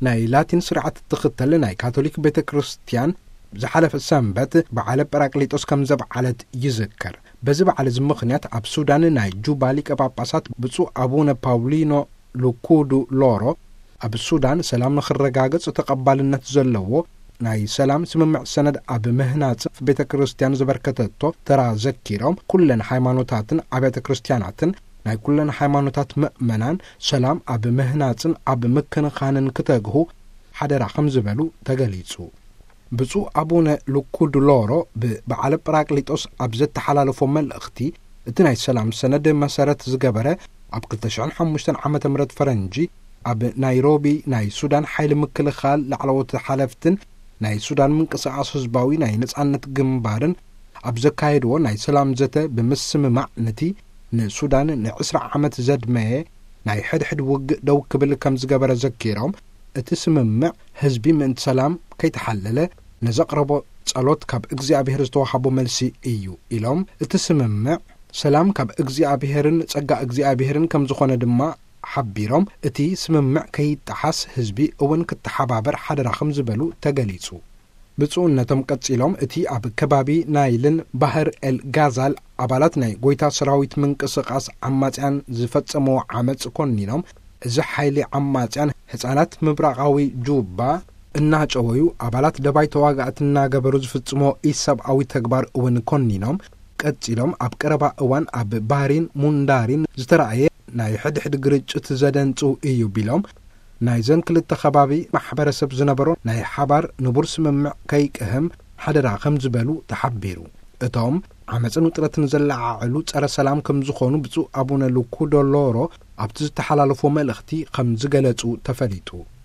ናይ ላቲን ስርዓት እትኽተል ናይ ካቶሊክ ቤተ ክርስቲያን ዝሓለፈ ሰንበት በዓለ ጳራቅሊጦስ ከም ዘብዓለት ይዝከር። በዚ በዓል እዚ ምኽንያት ኣብ ሱዳን ናይ ጁባ ሊቀ ጳጳሳት ብፁዕ ኣቡነ ፓውሊኖ ሉኩዱ ሎሮ፣ ኣብ ሱዳን ሰላም ንኽረጋገጽ ተቐባልነት ዘለዎ ናይ ሰላም ስምምዕ ሰነድ ኣብ ምህናጽ ቤተ ክርስቲያን ዘበርከተቶ ተራ ዘኪሮም፣ ኩለን ሃይማኖታትን ኣብያተ ክርስቲያናትን ናይ ኩለን ሃይማኖታት ምእመናን ሰላም ኣብ ምህናጽን ኣብ ምክንኻንን ክተግሁ ሓደራ ከም ዝበሉ ተገሊጹ። ብፁዕ ኣቡነ ሉኩድሎሮ ብበዓለ ጳራቅሊጦስ ኣብ ዘተሓላለፎ መልእኽቲ፣ እቲ ናይ ሰላም ሰነድ መሰረት ዝገበረ፣ ኣብ ክልተ ሽሕን ሓሙሽተን ዓመተ ምህረት ፈረንጂ ኣብ ናይሮቢ ናይ ሱዳን ሓይሊ ምክልኻል ላዕለዎት ሓለፍትን ናይ ሱዳን ምንቅስቓስ ህዝባዊ ናይ ነጻነት ግንባርን ኣብ ዘካየድዎ ናይ ሰላም ዘተ ብምስምማዕ፣ ነቲ ንሱዳን ንዕስራ ዓመት ዘድመየ ናይ ሕድሕድ ውግእ ደው ክብል ከም ዝገበረ ዘኪሮም፣ እቲ ስምምዕ ህዝቢ ምእንቲ ሰላም ከይተሓለለ ንዘቕረቦ ጸሎት ካብ እግዚኣብሔር ዝተዋሃቦ መልሲ እዩ ኢሎም። እቲ ስምምዕ ሰላም ካብ እግዚኣብሔርን ጸጋ እግዚኣብሔርን ከም ዝኾነ ድማ ሓቢሮም፣ እቲ ስምምዕ ከይጠሓስ ህዝቢ እውን ክተሓባበር ሓደራ ከም ዝበሉ ተገሊጹ። ብፁዕነቶም ቀጺሎም፣ እቲ ኣብ ከባቢ ናይልን ባህር ኤል ጋዛል ኣባላት ናይ ጎይታ ሰራዊት ምንቅስቓስ ዓማጽያን ዝፈጸምዎ ዓመጽ ኮኒኖም፣ እዚ ሓይሊ ዓማጽያን ህጻናት ምብራቓዊ ጁባ እናጨወዩ ኣባላት ደባይ ተዋጋእቲ እናገበሩ ዝፍጽሞ ኢሰብኣዊ ተግባር እውን ኮኒኖም፣ ቀጺሎም ኣብ ቀረባ እዋን ኣብ ባሪን ሙንዳሪን ዝተራእየ ናይ ሕድሕድ ግርጭት ዘደንጽው እዩ ቢሎም፣ ናይዘን ክልተ ከባቢ ማሕበረሰብ ዝነበሮ ናይ ሓባር ንቡር ስምምዕ ከይቅህም ሓደራ ከም ዝበሉ ተሓቢሩ። እቶም ዓመፅን ውጥረትን ዘለዓዕሉ ጸረ ሰላም ከም ዝኾኑ ብፁዕ ኣቡነ ሉኩዶሎሮ ኣብቲ ዝተሓላለፎ መልእኽቲ ከም ዝገለጹ ተፈሊጡ።